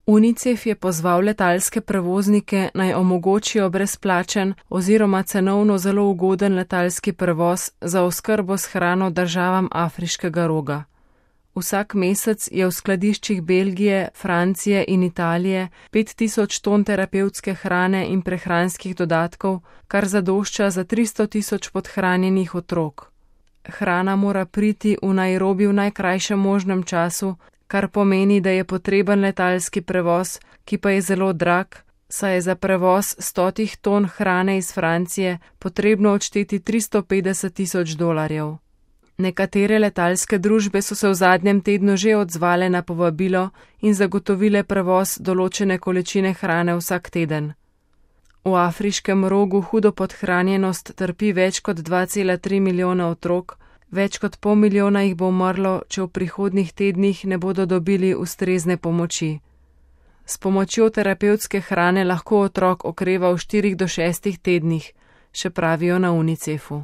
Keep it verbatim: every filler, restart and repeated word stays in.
UNICEF je pozval letalske prevoznike, naj omogočijo brezplačen oziroma cenovno zelo ugoden letalski prevoz za oskrbo s hrano državam Afriškega roga. Vsak mesec je v skladiščih Belgije, Francije in Italije pet tisoč ton terapevtske hrane in prehranskih dodatkov, kar zadošča za tristo tisoč podhranjenih otrok. Hrana mora priti v Nairobi v najkrajšem možnem času, kar pomeni, da je potreben letalski prevoz, ki pa je zelo drag, saj je za prevoz stotih ton hrane iz Francije potrebno odšteti tristo petdeset tisoč dolarjev. Nekatere letalske družbe so se v zadnjem tednu že odzvale na povabilo in zagotovile prevoz določene količine hrane vsak teden. V Afriškem rogu hudo podhranjenost trpi več kot dva cela tri milijona otrok, več kot pol milijona jih bo umrlo, če v prihodnjih tednih ne bodo dobili ustrezne pomoči. S pomočjo terapevtske hrane lahko otrok okreva v štirih do šestih tednih, še pravijo na UNICEFu.